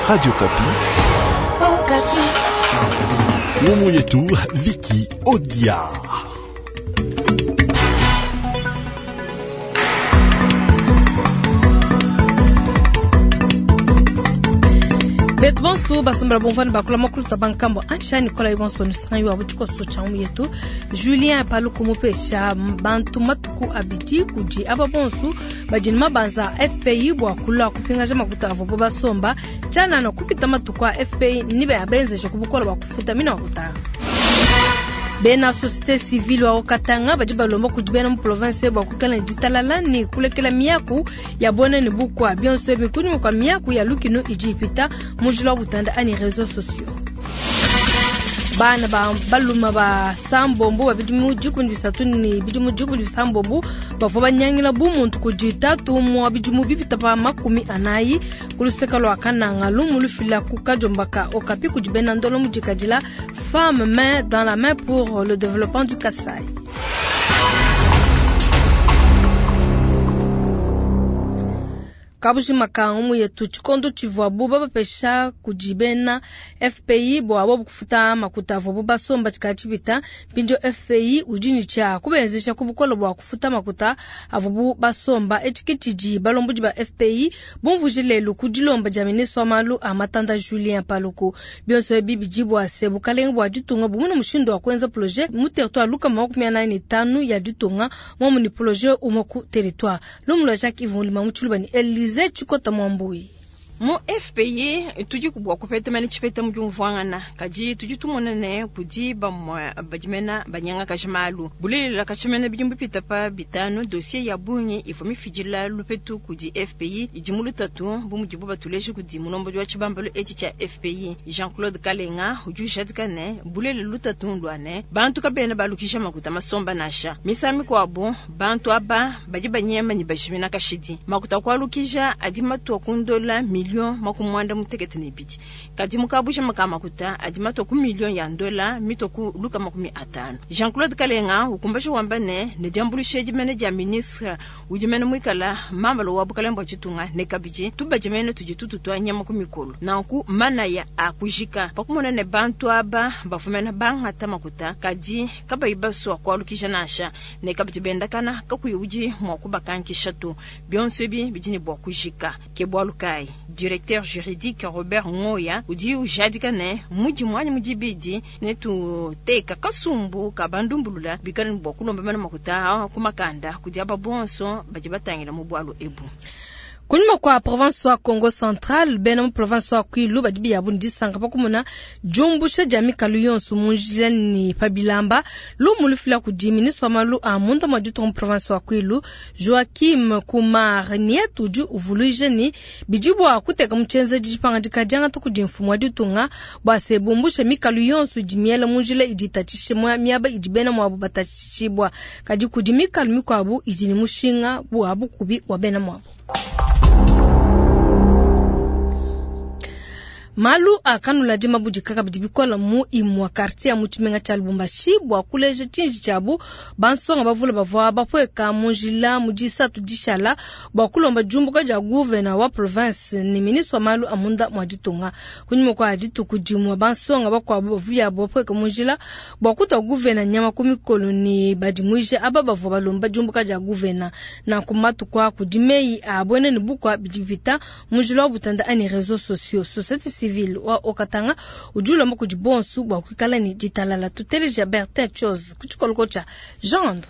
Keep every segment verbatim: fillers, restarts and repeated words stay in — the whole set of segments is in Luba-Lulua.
Radio Okapi. Okapi. Ngumu yetu Viki Odia. Betu bonso basombela bomvani bakula makulu bankambo ansha Nicolas bonso nusangi wa butshikoso tsha mu yetu Julien Paluku mupesha bantu matuku abidi kudi aba bonso badi ne mabanza F P I bua kulua kupingaja makuta avobo basomba tshianana kupita matuku a F P I ni babenzeje ku bukola bua kufuta mina makuta. Bena société civile wa Katanga badi balomba kudi bena mu province bua kuikala ne ditalala ne kulekela miaku ya bona ne bukwa bionso ebi kunyima kua miaku ya lukinu idi ipita mu njila wa butanda anyi réseaux sociaux. Bana ba baluma ba sambombo ba bidimu dikumi bisatu ne bidimu dikumi bisambombo bavua banyangila bumuntu kudi tatu umue bidimu bipita pa makumi anayi ku luseke lua Kananga. Lumu lufila ku Kajombaka Okapi kudi bena ndolo mudikadila Femme Main dans la Main pour le développement du Kasaï. Kabujima ka ngumu yetu, tshikondo tshivuabu babapesha kudi bena F P I bua bobu kufuta makuta avuabu basomba tshikala tshipita. Mpindieu F P I udi ne tshia kubenzesha ku bukole bua kufuta makuta avuabu basomba. Etshi ke tshidi balombodi ba F P I bumvuije lelu ku dilomba dia ministre wa malu a matanda Julien Paluku. Bionso ebi bidi bua se bukalenge bua ditunga bumune mushindu wa kuenza projet mu territoire lukama makumi anayi ne tanu ya ditunga, momu ni projet umue ku territoire. Lumu lua Jacques Yvon Lima mu Tshiluba ne Elize Tshikota Mwambui. Mu F P I tudi bua kupeta mene tshipeta mu diumvuangana, kadi tudi tumona ne kudi bamue badi mena banyangakaja malu. Bulelela, katshimene bidimu bipita pa bitanu, dossier ya bungi ivua mifidila lupetu kudi F P I idi mu lutatu, bu mudibu batuleje kudi mulombodi wa tshibambalu etshi tshia F P I Jean Claude Kalenga. Udi ujadika ne bulelela lutatu ndua ne bantu kabena balukisha makuta masomba nansha. Misangu mikuabu bantu aba badi banyema ne bajimina kashidi. Makuta kualukisha adi matua ku ndola million makumi mwanda mutekete ne ibidi, kadi mukabusha maka makuta adi matua ku million ya ndola mitua ku luka makumi atanu. Jean Claude Kalenga ukumbasha wamba ne ne diambuluisha dimene dia ministre udi mene muikala mambalo wa bukalenge bua ditunga ne kabidi tubadi mene tudi tututua nyama ku mikolo. Nanku manaya a kujika pakumona ne bantu aba bafumena bangata makuta kadi kabayi basua kualukisha nansha, ne kabidi bendakana kakuyi udi mua kubakankisha to. Bionso ebi bidi ne bua kujika. Ke bualu kayi directeur juridique Robert Ngoya udi ujadika ne mudimu anyi mudibidi ne tuteka kasumbu ka bandumbulula bikale ne bua kulomba mene makuta ku makanda kudi aba bonso badi batangila mu bualu ebu. Kunyima kua province wa Congo Central, bena mu province wa Kwilu badi biyabu ne disanka pa kumona diumbusha dia mikalu yonso mu njila ne pa bilamba. Lumu lufila kudi ministre wa malu a munda mua ditunga mu province wa Kwilu Joaquim Kumar Niet udi uvuluija ne bidi bua kuteka mu tshienzedi dipangadika diangata kudi mfumu wa ditunga bua se bumbusha mikalu yonso idi miela mu njila idi itatshisha miaba idi bena muabu batatshishibua, kadi kudi mikalu mikuabu idi ne mushinga bua bukubi bua bena muabu. Malu akanula mabudika kabidi bikola mu imua quartier ya mu tshimenga tshia Lubumbashi. Bua kuleja tshinji tshiabu, bansonga bavule bavua bapueka mu njila mu disatu dishala bua kulomba diumbuka dia gouverneur wa province ne ministre wa malu a munda mua ditunga. Kunyima kua dituku dimue, bansonga bakuabu bavuyabu bapueka mu njila bua kutua gouverneur nyama ku mikolo ne badimuije aba bavua balomba diumbuka dia gouverneur. Nanku matuku a kudi meyi a buena ne bukua bidi bipita mu njila wa butanda anyi réseaux sociaux. Société civile wa Haut-Katanga udi ulomba kudi bonso bua kuikala ne ditalala. Tuteleja Bertin Chose ku tshikoloko tshia Jean.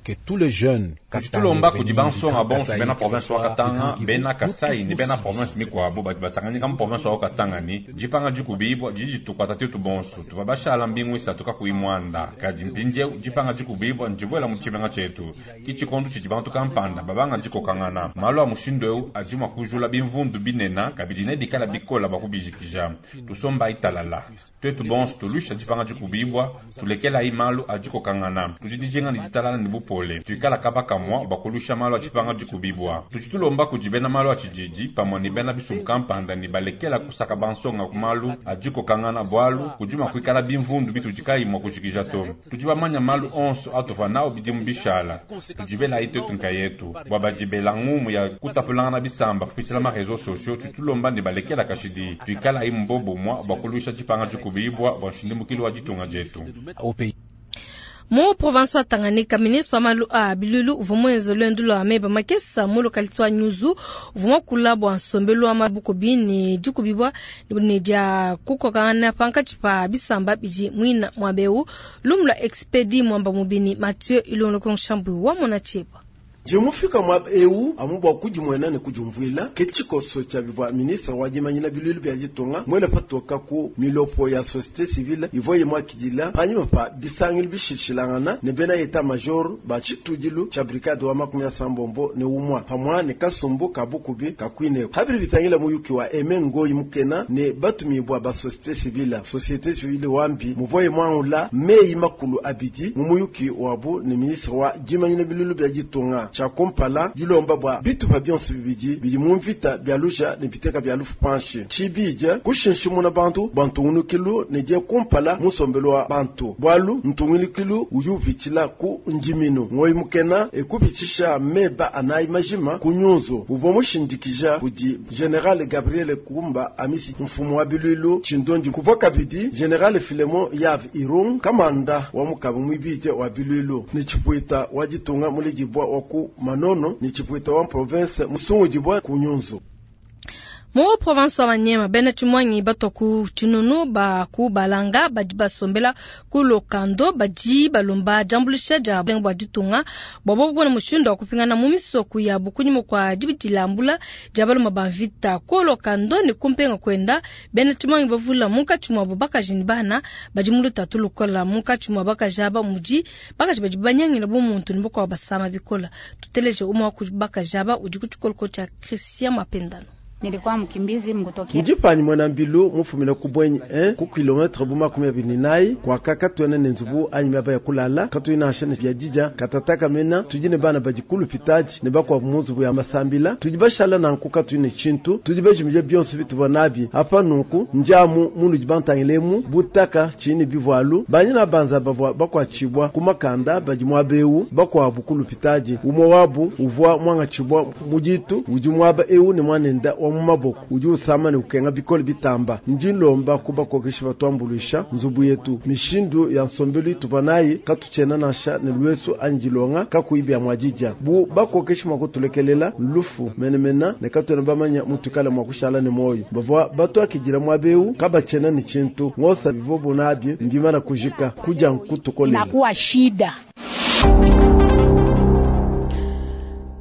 Que tous les jeunes Tudi tulomba kudi bansonga bonso bena province wa Katanga, bena Kasai ne bena province mikuabu badi basanganyika mu province wa Katanga ni dipanga dikubibua didi ditukuata tetu bonso. Tuva bashala mbingu isatu kakuyi muanda, kadi mpindieu dipanga dikubibua ndibuela mu tshimenga tshietu. Ki tshikondo tshidi bantu kampanda babanga dikokangana. Malu a mushindu eu adi mua kujula bimvundu binena, kabidi ne bikala bikola bua kubijikija. Tusombayi talala, twetu bonso tulusha dipanga dikubibua, tulekelayi malu a dikokangana. Tudi dijinga ne ditalala ne bupole. bupole. Tuikala kaba kamua bua kuluisha malu a dipanga dikubibua. Tudi tulomba kudi bena malu a tshididi pamue ne bena bisumbu kampanda ne balekela kusaka bansonga ku malu a dikokangana bualu kudi mua kuikala bimvundu bitudi kayi mua kujikija to. Tudi bamanya malu onso atuvua nawu bidimu bishala. Tudi belayi twetu nkayetu bua badi bela ngumu ya kutapulangana bisamba kupitshila ma réseaux sociaux tudi tulomba ne balekela kashidi. Tuikalayi mu bobumue bua kuluisha dipanga dikubibua bua nshindumukilu wa ditunga dietu. Mu province wa Tanganyika, ministre wa malu a biluilu uvua muenze luendu lua meba makesa mu localité wa Nyuzu uvua muakula bua nsombelu wa mabukubi ne dikubibua ne dia kukokangana pankatshi pa bisamba bidi muina muaba eu. Lumu lua Expedi Mwamba Mubini Mathieu Ilongo Nshambu wa mona tshieba. Dimufika muaba eu amu bua kudimuena ne kudiumvuila ke tshikoso tshia bivua ministre wa dimanyina biluilu bia ditunga muele patoka ku milopo ya société civile ivua ye muakidila panyima pa bisangilu bishilashilangana ne bena état major ba tshitudilu tshia brigade wa makumi asambombo ne umua pamua ne kasumbu ka bukubi ka kuineko. Habidi bitangila muyuki wa Aime Ngoyi Mukena ne batumibua ba société civile. Société civile wambi muvua ye muangula meyi makulu abidi mu muyuki wabu ne ministre wa dimanyina biluilu bia ditunga. Tshia kumpala dilomba bua bitupa bionso bibidi bidi mu mvita bia luja ne biteka bia lufu panshi. Tshibidi kushinshimuna bantu bua ntungunukilu ne die kumpala mu nsombelu wa bantu bualu ntungunukilu udi upitshila ku ndiminu. Ngoyi Mukena ekupitshisha meba anayi majima ku nyunzu uvua mushindikija kudi General Gabriel Kumba Amisi mfumu wa biluilu Tshindondi kuvua kabidi General Philemon Yav Irung kamanda wa mukabu mwibidi wa biluilu ne tshipuita wa ditunga muledibua wa ku Manono ni tshipuita wa province musungudibua ku nyunzu. Mu province wa Maniema bena tshimwangi batwa ku tshinunu ba ku balanga badi basombela ku lokando badi balomba diambuluisha dia bua ditunga bua bobo mushindu wa kupingana mu misoko ya bukunyima kwa dibidilambula dia baloma ba mvita ku lokando ne kumpenga kwenda bena tshimwangi bavula munkatshi muabu bakaji ne bana badi mu lutatu lukola munkatshi mua bakaji aba mudi bakaji badi banyangila bu muntu ne bakuabu basama bikola. Tuteleje umwe wa ku bakaji aba udi ku tshikoloko tshia Christian Mapendano. Nilikuwa mkimbizi mkutokea Ndipanyi mwana mbilu mufumina ku bwenyi eh ku kilometre bu makumi abiri nayi kwa kaka tuene ne nzubu anyi miaba ya kulala katuina ashane bya dija katataka mena tujine bana badi kulupitaji ne bakwa mu nzubu ya masambila tudi bashala nanku katuine chintu tudi bajimije bionso bituva nabi apa nunku njamu munu dibantangilemu butaka chini bivwalu banyina banza bavwa bakwa chibwa kumakanda badi mwabeu bakwa bukulupitaji umwe wabu uvwa mwanga chibwa mujitu udi mwaba eu ne mwanenda wa mumaboko udi usama ne ukenga bikole bitamba ndilomba kubakokesha batwambulisha nzubu yetu mishindu ya nsombelu ituva nayi katuchena nasha ne lwesu anjilonga kakuibya mwajija bu bakokesha mwakutulekelela lufu menemena ne katwena bamanya mutukala mwakushala ne moyo bavwa batwakidila mwabeu kabachena ni chintu ngosa bivobo nabyo mbimana kujika kuja nkutukolela inakuwa shida.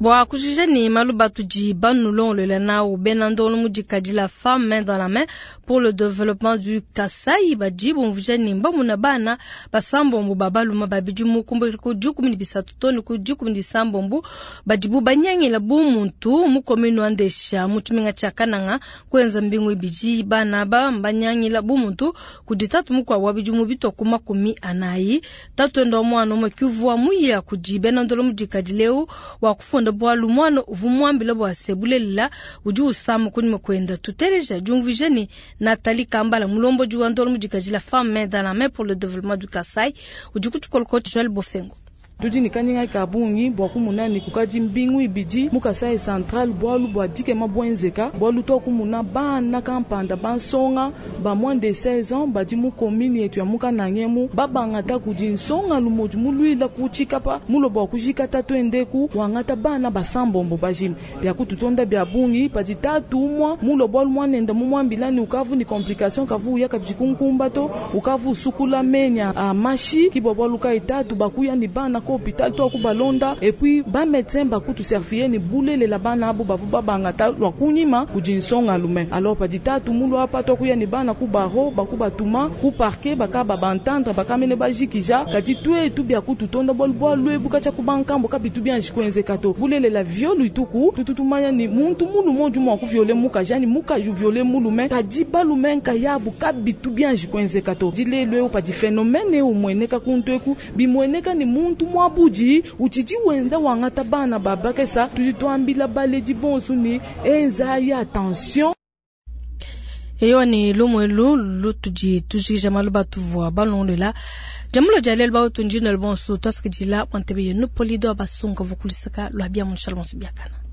Bua kujija ni malu batudi banulongolola nawu bena ndolo mudikadi la femme main dans la main pour le développement du Kasai badi bumvuija ni mbamuna bana basambombo babaluma babidi mu kumbukila ku dikumi ne bisatu to ne ku dikumi ne bisambombo badibu banyangila bu muntu mu commune wa Ndesha mu tshimenga tshia Kananga kuenza mbingu ibidi bana ba mbanyangila bu muntu kudi tatu mukuabu wa bidimu bitwa ku makumi anayi tatu enda wa mwana umue kivua muya kudi bena ndolo mudikadi leu wa kufunda bwalu mwana uvu mwambila bwa sebulelela udi usama kunyima kwenda tuteleja diumvuija ni Nathalie Kambala mulombodi wa ndolo mudikadi la femme main dans la main pour le développement du Kasai udi ku tshikoloko Joël Bofengo. Tudi ni kanyinga kabungi bwa kumuna ni kukaji mbingu ibidi mu Kasai Central bwalu bwa dikema bwenzeka bwalu to kumuna bana kampanda bansonga ba moins de seize ans badi mu commune yetu ya mukanangemu babangata kudi nsonga lumoju mulwila kuchikapa mulo bwa kujikata twendeku wangata bana basambombo bajimi bya kututonda bya bungi padi tatu umwa mulo bwalu mwanenda mumwambila ni ukavu ni complication kavu ya kabikunkumba to ukavu sukula menya a mashi kibwa bwalu ka itatu bakuya ni bana ko hôpital to ku balonda et puis ba médecin ba kutu servir ni bulele la bana abo bavu babangata lwa kunyima kudi nsonga lume alors padi tatu mulu apa to kuya ni bana ku baro baku batuma ku parquet baka ba bantendre bakamene bajikija kadi twetu bya kututonda bwalu bwalu ebuka tcha ku bankambo kabitu bien jikwenze kato bulele la viol ituku tututumanya ni muntu mulu moju mwa ku violer mukaji ani mukaji violer mulume kadi balume nkayabu kabitu bien jikwenze kato dilelwe padi phénomène umweneka kuntweku bimweneka ni muntu Muabudi utshidi wenda wangata bana ba bakesa. Tudi tuambila baledi bonso ne enzayi attention. Eyo ni lumu elu lutudi tujikija malu batuvua balondola jamulo dia lelu bautu ndina bonso tuasakidila bua ntebe yenu polido basunga vukulisaka lwa bia munshala bonso biakana.